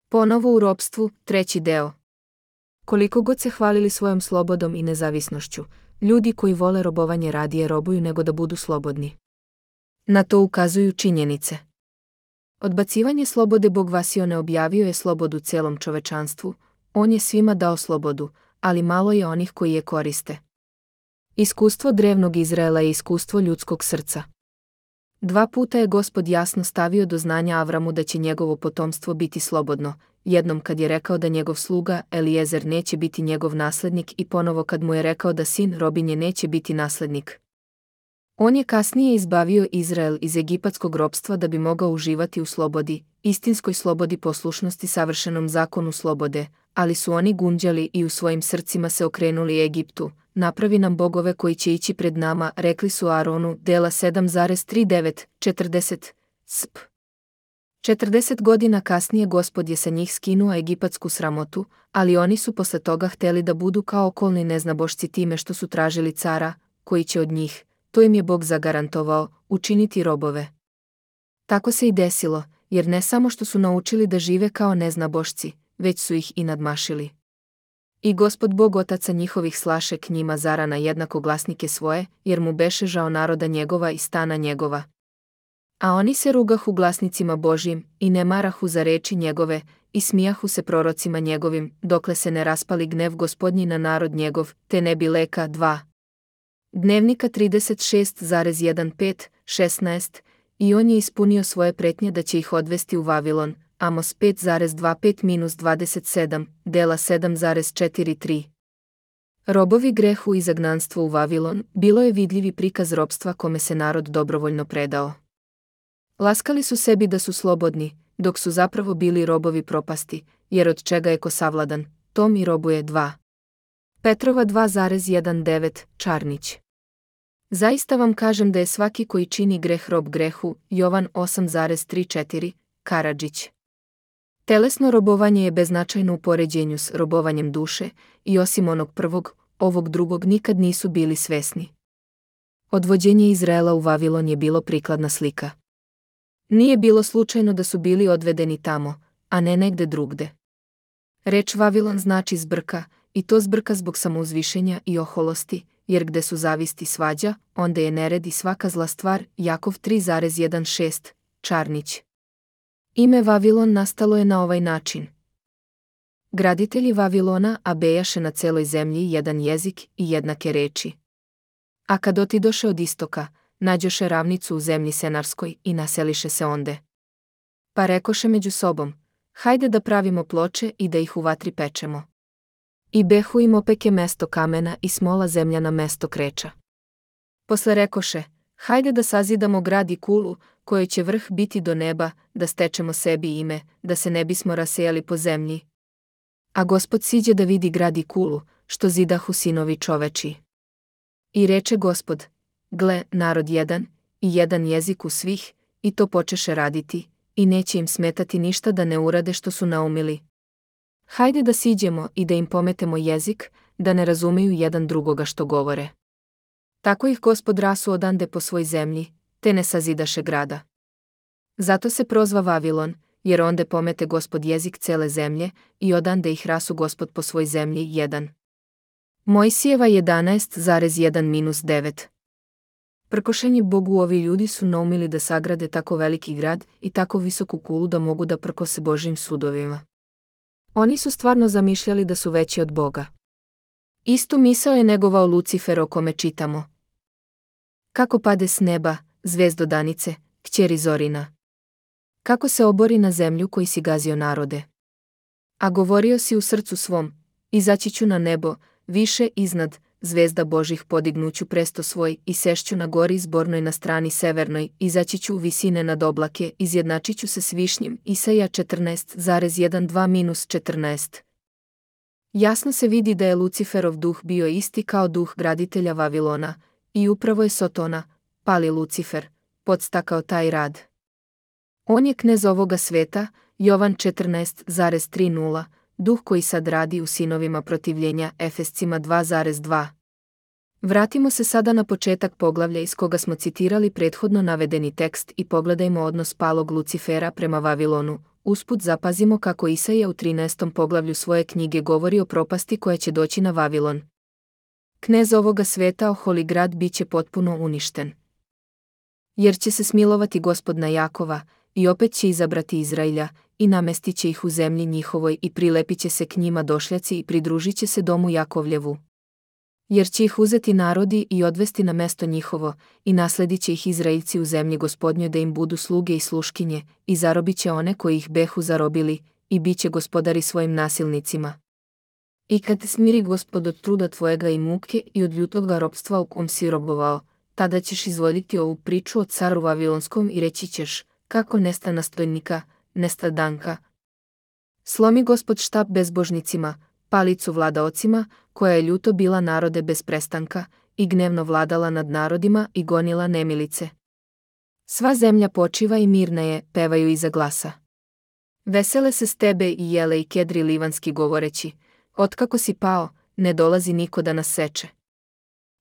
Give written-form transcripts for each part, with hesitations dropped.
Ponovo u ropstvu, 3. deo. Koliko god se hvalili svojom slobodom i nezavisnošću, ljudi koji vole robovanje radije robuju nego da budu slobodni. Na to ukazuju činjenice. Odbacivanje slobode Bog Vasione objavio je slobodu celom čovečanstvu, on je svima dao slobodu, ali malo je onih koji je koriste. Iskustvo drevnog Izraela je iskustvo ljudskog srca. 2 puta je Gospod jasno stavio do znanja Avramu da će njegovo potomstvo biti slobodno, jednom kad je rekao da njegov sluga Eliezer neće biti njegov naslednik i ponovo kad mu je rekao da sin robinje neće biti naslednik. On je kasnije izbavio Izrael iz egipatskog ropstva da bi mogao uživati u slobodi, istinskoj slobodi poslušnosti savršenom zakonu slobode, ali su oni gunđali i u svojim srcima se okrenuli Egiptu. Napravi nam bogove koji će ići pred nama, rekli su Aronu, Dela 7,39, 40, sp. 40 godina kasnije Gospod je sa njih skinuo egipatsku sramotu, ali oni su posle toga hteli da budu kao okolni neznabošci time što su tražili cara, koji će od njih, to im je Bog zagarantovao, učiniti robove. Tako se i desilo, jer ne samo što su naučili da žive kao neznabošci, već su ih i nadmašili. I Gospod Bog otaca njihovih slaše k njima zarana jednako glasnike svoje, jer mu beše žao naroda njegova i stana njegova. A oni se rugahu glasnicima Božjim, i ne marahu za reči njegove, i smijahu se prorocima njegovim, dokle se ne raspali gnev Gospodnji na narod njegov, te ne bi leka 2. Dnevnika 36,15, 16, i on je ispunio svoje pretnje da će ih odvesti u Vavilon, Amos 5,25-27, Dela 7,43. Robovi grehu i zagnanstvo u Vavilon bilo je vidljivi prikaz ropstva kome se narod dobrovoljno predao. Laskali su sebi da su slobodni, dok su zapravo bili robovi propasti, jer od čega je ko savladan, tom i robuje 2. Petrova 2,19, Čarnić. Zaista vam kažem da je svaki koji čini greh rob grehu, Jovan 8,34, Karadžić. Telesno robovanje je beznačajno u poređenju s robovanjem duše, i osim onog prvog, ovog drugog nikad nisu bili svesni. Odvođenje Izraela u Vavilon je bilo prikladna slika. Nije bilo slučajno da su bili odvedeni tamo, a ne negde drugde. Reč Vavilon znači zbrka, i to zbrka zbog samouzvišenja i oholosti, jer gde su zavisti svađa, onda je nered i svaka zla stvar, Jakov 3,16, Čarnić. Ime Vavilon nastalo je na ovaj način. Graditelji Vavilona bejaše na celoj zemlji jedan jezik i jednake reči. A kad otidoše od istoka, nađoše ravnicu u zemlji Senarskoj i naseliše se onde. Pa rekoše među sobom, hajde da pravimo ploče i da ih u vatri pečemo. I behu im opeke mesto kamena i smola zemljana mesto kreča. Posle rekoše, hajde da sazidamo grad i kulu, kojoj će vrh biti do neba, da stečemo sebi ime, da se ne bismo rasejali po zemlji. A Gospod siđe da vidi grad i kulu, što zidahu sinovi čoveči. I reče Gospod, gle, narod jedan, i jedan jezik u svih, i to počeše raditi, i neće im smetati ništa da ne urade što su naumili. Hajde da siđemo i da im pometemo jezik, da ne razumeju jedan drugoga što govore. Tako ih Gospod rasu odande po svoj zemlji, te ne sazidaše grada. Zato se prozva Vavilon, jer onde pomete Gospod jezik cele zemlje, i odande ih rasu Gospod po svoj zemlji 1. Mojsijeva 11,1-9. Prkošenje Bogu ovi ljudi su naumili da sagrade tako veliki grad i tako visoku kulu da mogu da prkose Božjim sudovima. Oni su stvarno zamišljali da su veći od Boga. Istu misao je negovao Lucifer o kome čitamo. Kako pade s neba, zvezdo danice, kćeri Zorina. Kako se obori na zemlju koji si gazio narode. A govorio si u srcu svom, izaći ću na nebo, više iznad, zvezda Božih podignuću presto svoj i sešću na gori izbornoj na strani severnoj, izaći ću u visine nad oblake, izjednačit ću se s višnjim, Isaija 14,12-14. Jasno se vidi da je Luciferov duh bio isti kao duh graditelja Vavilona, i upravo je Sotona, pali Lucifer, podstakao taj rad. On je knez ovoga sveta, Jovan 14,30, duh koji sad radi u sinovima protivljenja, Efescima 2,2. Vratimo se sada na početak poglavlja iz koga smo citirali prethodno navedeni tekst i pogledajmo odnos palog Lucifera prema Vavilonu, Usput zapazimo kako Isaija u 13. poglavlju svoje knjige govori o propasti koja će doći na Vavilon. Knez ovoga sveta, oholi grad, bit će potpuno uništen. Jer će se smilovati Gospod na Jakova, i opet će izabrati Izrailja, i namestit će ih u zemlji njihovoj i prilepit će se k njima došljaci i pridružit će se domu Jakovljevu. Jer će ih uzeti narodi i odvesti na mesto njihovo, i nasledit će ih Izraeljci u zemlji Gospodnjoj da im budu sluge i sluškinje, i zarobit će one koji ih behu zarobili, i bit će gospodari svojim nasilnicima. I kad te smiri Gospod od truda tvojega i muke i od ljutoga ropstva u kom si robovao, tada ćeš izvoditi ovu priču o caru Vavilonskom i reći ćeš, kako nesta nastojnika, nesta danka. Slomi Gospod štap bezbožnicima, palicu vladaocima, koja je ljuto bila narode bez prestanka, i gnevno vladala nad narodima i gonila nemilice. Sva zemlja počiva i mirna je, pevaju iza glasa. Vesele se s tebe i jele i kedri livanski govoreći, otkako si pao, ne dolazi niko da nas seče.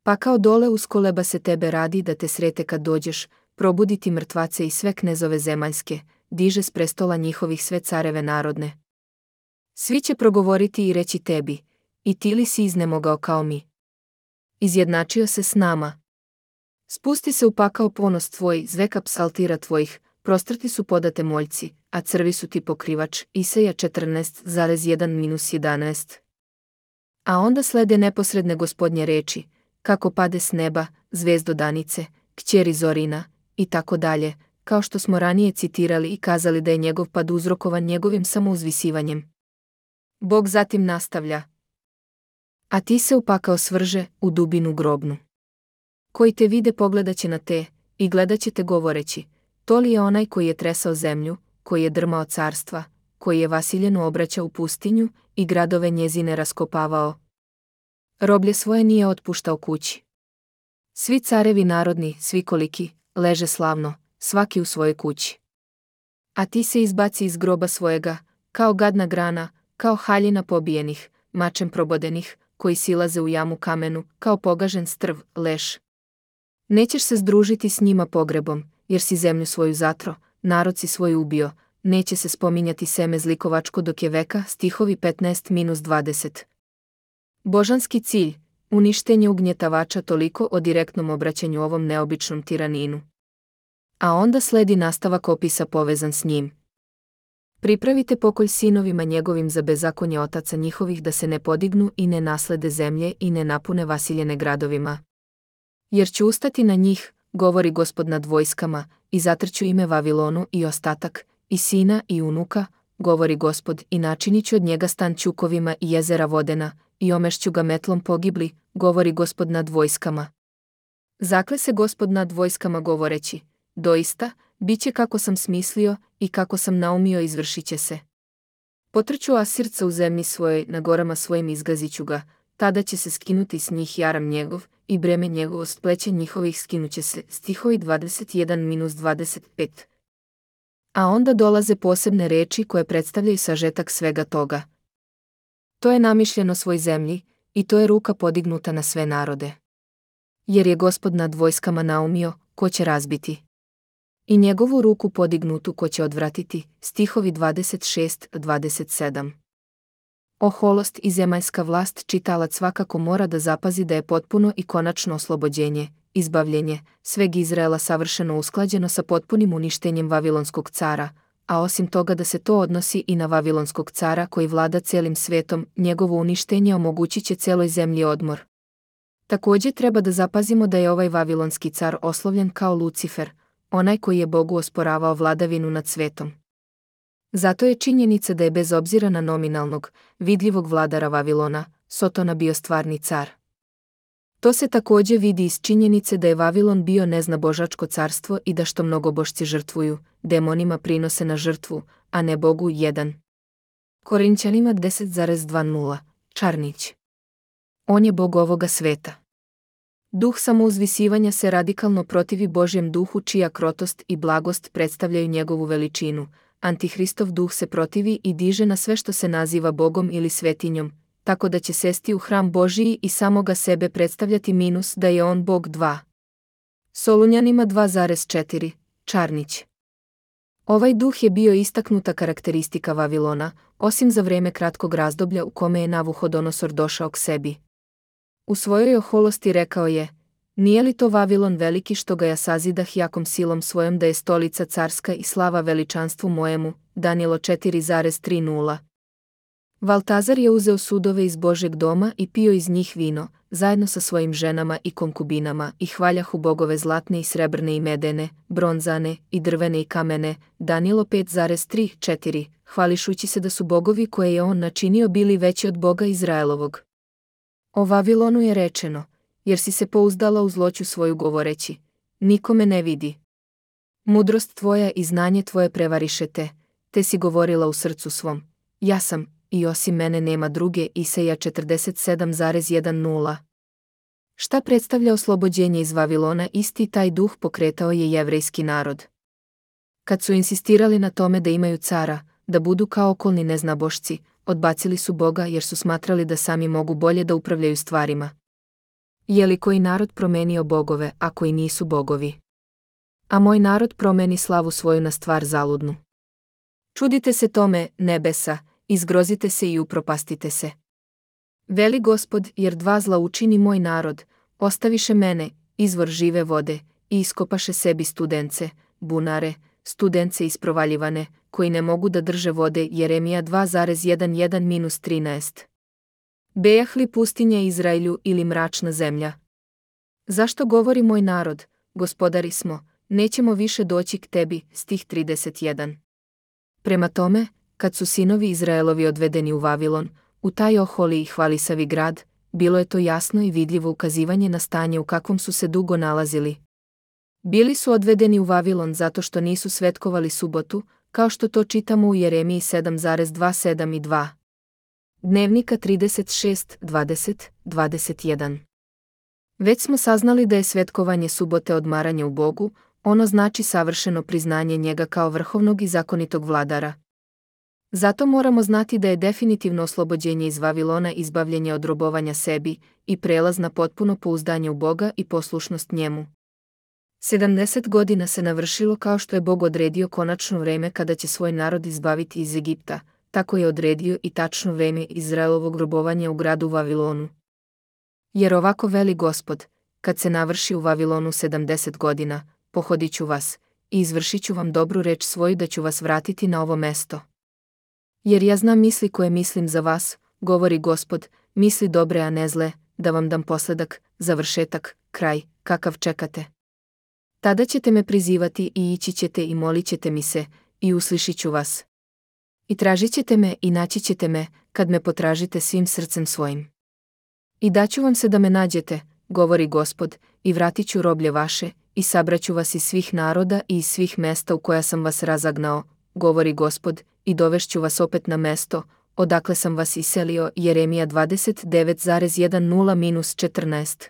Pa kao dole uskoleba se tebe radi da te srete kad dođeš, probuditi mrtvace i sve knezove zemaljske, diže s prestola njihovih sve careve narodne. Svi će progovoriti i reći tebi, i ti li si iznemogao kao mi? Izjednačio se s nama. Spusti se u pakao ponos tvoj, zveka psaltira tvojih, prostrti su podate moljci, a crvi su ti pokrivač, Isaija 14,1-11. A onda slede neposredne Gospodnje reči, kako pade s neba, zvezdo danice, kćeri Zorina, i tako dalje, kao što smo ranije citirali i kazali da je njegov pad uzrokovan njegovim samouzvisivanjem. Bog zatim nastavlja. A ti se upakao svrže u dubinu grobnu. Koji te vide pogledat će na te, i gledat će te govoreći, to li je onaj koji je tresao zemlju, koji je drmao carstva, koji je Vasiljenu obraćao u pustinju i gradove njezine raskopavao. Roblje svoje nije otpuštao kući. Svi carevi narodni, svi koliki, leže slavno, svaki u svojoj kući. A ti se izbaci iz groba svojega, kao gadna grana, kao haljina pobijenih, mačem probodenih, koji silaze u jamu kamenu, kao pogažen strv, leš. Nećeš se združiti s njima pogrebom, jer si zemlju svoju zatro, narod si svoj ubio, neće se spominjati seme zlikovačko dok je veka, stihovi 15-20. Božanski cilj, uništenje ugnjetavača, toliko o direktnom obraćanju ovom neobičnom tiraninu. A onda sledi nastavak opisa povezan s njim. Pripravite pokolj sinovima njegovim za bezakonje otaca njihovih da se ne podignu i ne naslede zemlje i ne napune Vasiljene gradovima. Jer ću ustati na njih, govori Gospod nad vojskama, i zatrću ime Vavilonu i ostatak, i sina i unuka, govori Gospod, i načinit ću od njega stan ćukovima i jezera vodena, i omešću ga metlom pogibli, govori Gospod nad vojskama. Zakle se Gospod nad vojskama govoreći, doista, bit će kako sam smislio i kako sam naumio izvršit će se. Potrću Asirca u zemlji svojoj, na gorama svojim izgaziću ga, tada će se skinuti s njih jaram njegov i breme njegovo s pleća njihovih skinuće se, stihovi 21-25. A onda dolaze posebne reči koje predstavljaju sažetak svega toga. To je namišljeno svoj zemlji, i to je ruka podignuta na sve narode. Jer je Gospod nad vojskama naumio, ko će razbiti. I njegovu ruku podignutu ko će odvratiti, stihovi 26-27. Oholost i zemaljska vlast čitalac svakako mora da zapazi da je potpuno i konačno oslobođenje, izbavljenje, sveg Izraela savršeno usklađeno sa potpunim uništenjem Vavilonskog cara, a osim toga da se to odnosi i na Vavilonskog cara koji vlada celim svetom, njegovo uništenje omogućit će celoj zemlji odmor. Također treba da zapazimo da je ovaj Vavilonski car oslovljen kao Lucifer, onaj koji je Bogu osporavao vladavinu nad svetom. Zato je činjenica da je bez obzira na nominalnog, vidljivog vladara Vavilona, Sotona bio stvarni car. To se također vidi iz činjenice da je Vavilon bio neznabožačko carstvo i da što mnogobožci žrtvuju, demonima prinose na žrtvu, a ne Bogu 1. Korinćanima 10,20, Čarnić. On je Bog ovoga sveta. Duh samouzvisivanja se radikalno protivi Božjem duhu čija krotost i blagost predstavljaju njegovu veličinu. Antihristov duh se protivi i diže na sve što se naziva Bogom ili svetinjom, tako da će sesti u hram Božiji i samoga sebe predstavljati minus da je on Bog 2. Solunjanima 2,4, Čarnić. Ovaj duh je bio istaknuta karakteristika Vavilona, osim za vreme kratkog razdoblja u kome je Navuhodonosor došao k sebi. U svojoj oholosti rekao je: nije li to Vavilon veliki što ga ja sazidah jakom silom svojom da je stolica carska i slava veličanstvu mojemu? Danilo 4,30. Valtazar je uzeo sudove iz Božjeg doma i pio iz njih vino, zajedno sa svojim ženama i konkubinama, i hvaljahu bogove zlatne i srebrne i medene, bronzane i drvene i kamene. Danilo 5,34, hvališući se da su bogovi koje je on načinio bili veći od Boga Izraelovog. O Vavilonu je rečeno: jer si se pouzdala u zloću svoju govoreći: niko me ne vidi. Mudrost tvoja i znanje tvoje prevariše te si govorila u srcu svom: ja sam, i osim mene nema druge. Isaija 47,10. Šta predstavlja oslobođenje iz Vavilona? Isti taj duh pokretao je jevrejski narod. Kad su insistirali na tome da imaju cara, da budu kao okolni neznabošci, odbacili su Boga jer su smatrali da sami mogu bolje da upravljaju stvarima. Je li koji narod promenio bogove, a koji nisu bogovi? A moj narod promeni slavu svoju na stvar zaludnu. Čudite se tome, nebesa, izgrozite se i upropastite se. Veli Gospod, jer dva zla učini moj narod, ostaviše mene, izvor žive vode, i iskopaše sebi studence, bunare, studence isprovaljivane, koji ne mogu da drže vode. Jeremija 2,11-13. Bejah li pustinja Izraelju ili mračna zemlja? Zašto govori moj narod: gospodari smo, nećemo više doći k tebi? Stih 31. Prema tome, kad su sinovi Izraelovi odvedeni u Vavilon, u taj oholi i hvalisavi grad, bilo je to jasno i vidljivo ukazivanje na stanje u kakvom su se dugo nalazili. Bili su odvedeni u Vavilon zato što nisu svetkovali subotu, kao što to čitamo u Jeremiji 7,27 i 2. Dnevnika 36:20-21. Već smo saznali da je svetkovanje subote odmaranje u Bogu, ono znači savršeno priznanje njega kao vrhovnog i zakonitog vladara. Zato moramo znati da je definitivno oslobođenje iz Vavilona izbavljenje od robovanja sebi i prelaz na potpuno pouzdanje u Boga i poslušnost njemu. 70 godina se navršilo kao što je Bog odredio konačno vreme kada će svoj narod izbaviti iz Egipta, tako je odredio i tačno vreme Izraelovog robovanja u gradu Vavilonu. Jer ovako veli Gospod: kad se navrši u Vavilonu 70 godina, pohodit ću vas i izvršit ću vam dobru reč svoju da ću vas vratiti na ovo mesto. Jer ja znam misli koje mislim za vas, govori Gospod, misli dobre a ne zle, da vam dam posledak, završetak, kraj, kakav čekate. Tada ćete me prizivati i ići ćete i molit ćete mi se, i uslišit ću vas. I tražit ćete me i naći ćete me, kad me potražite svim srcem svojim. I daću vam se da me nađete, govori Gospod, i vratit ću roblje vaše, i sabraću vas iz svih naroda i iz svih mesta u koja sam vas razagnao, govori Gospod, i dovešću vas opet na mesto, odakle sam vas iselio. Jeremija 29,10-14.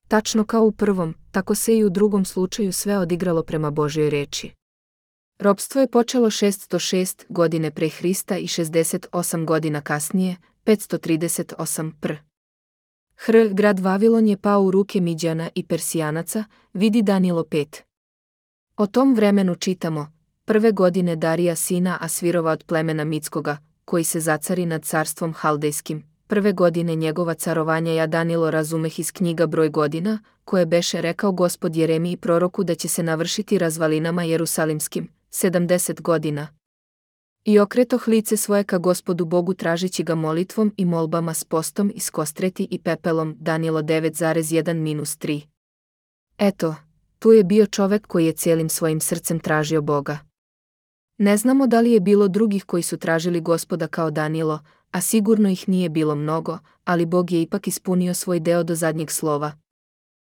Tačno kao u prvom, tako se i u drugom slučaju sve odigralo prema Božjoj reči. Ropstvo je počelo 606 godine pre Hrista i 68 godina kasnije, 538 pr. Grad Vavilon je pao u ruke Midjana i Persijanaca, vidi Danilo 5. O tom vremenu čitamo: prve godine Darija sina Asvirova od plemena Mitskoga, koji se zacari nad carstvom Haldejskim, prve godine njegova carovanja ja Danilo razumeh iz knjiga broj godina, koje beše rekao Gospod Jeremiji proroku da će se navršiti razvalinama Jerusalimskim, 70 godina. I okretoh lice svoje ka Gospodu Bogu tražići ga molitvom i molbama s postom i s kostreti i pepelom. Danilo 9,1-3. Eto, tu je bio čovek koji je cijelim svojim srcem tražio Boga. Ne znamo da li je bilo drugih koji su tražili Gospoda kao Danilo, a sigurno ih nije bilo mnogo, ali Bog je ipak ispunio svoj deo do zadnjeg slova.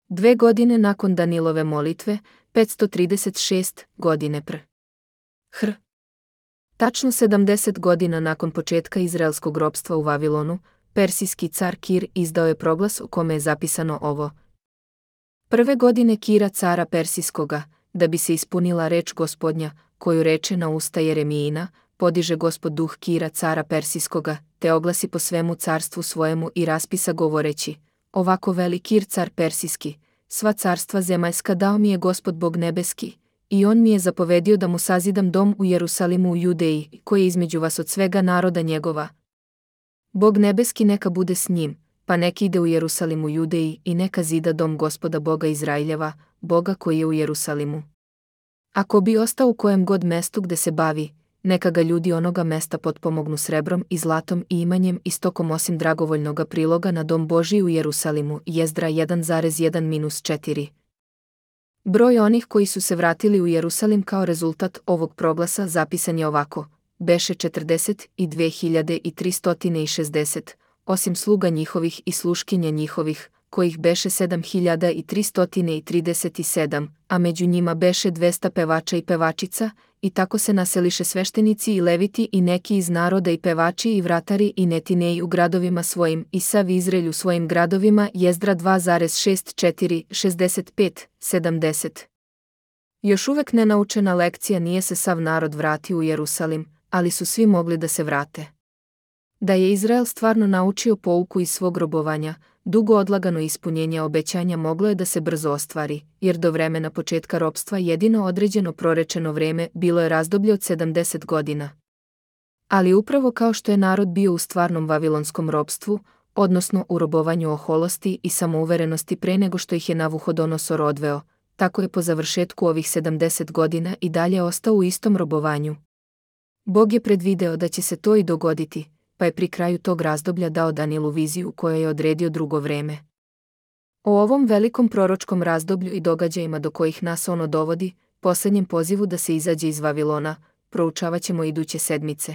2 godine nakon Danilove molitve, 536 godine pr. Tačno 70 godina nakon početka izraelskog ropstva u Vavilonu, persijski car Kir izdao je proglas u kome je zapisano ovo: prve godine Kira cara persijskoga, da bi se ispunila reč Gospodnja, koju reče na usta Jeremijina, podiže Gospod duh Kira cara persijskoga, te oglasi po svemu carstvu svojemu i raspisa govoreći: ovako veli Kir car persijski, sva carstva zemaljska dao mi je Gospod Bog nebeski, i on mi je zapovedio da mu sazidam dom u Jerusalimu u Judeji, koji je između vas od svega naroda njegova. Bog nebeski neka bude s njim, pa nek ide u Jerusalim u Judeji i neka zida dom Gospoda Boga Izraeljeva, Boga koji je u Jerusalimu. Ako bi ostao u kojem god mestu gde se bavi, neka ga ljudi onoga mesta potpomognu srebrom i zlatom i imanjem i stokom osim dragovoljnoga priloga na dom Božiji u Jerusalimu. Jezdra 1,1-4. Broj onih koji su se vratili u Jerusalim kao rezultat ovog proglasa zapisan je ovako: beše 42.360, osim sluga njihovih i sluškinja njihovih, kojih beše 7.337, a među njima beše 200 pevača i pevačica, i tako se naseliše sveštenici i leviti i neki iz naroda i pevači i vratari i netineji u gradovima svojim i sav Izraelj u svojim gradovima. Jezdra 2,64-65-70. Još uvek nenaučena lekcija, nije se sav narod vratio u Jerusalim, ali su svi mogli da se vrate. Da je Izrael stvarno naučio pouku iz svog robovanja, dugo odlagano ispunjenje obećanja moglo je da se brzo ostvari, jer do vremena početka ropstva jedino određeno prorečeno vreme bilo je razdoblje od 70 godina. Ali upravo kao što je narod bio u stvarnom vavilonskom ropstvu, odnosno u robovanju oholosti i samouverenosti pre nego što ih je Navuhodonosor odveo, tako je po završetku ovih 70 godina i dalje ostao u istom robovanju. Bog je predvideo da će se to i dogoditi, pa je pri kraju tog razdoblja dao Danielu viziju koja je odredio drugo vreme. O ovom velikom proročkom razdoblju i događajima do kojih nas ono dovodi, posljednjem pozivu da se izađe iz Vavilona, proučavat ćemo iduće sedmice.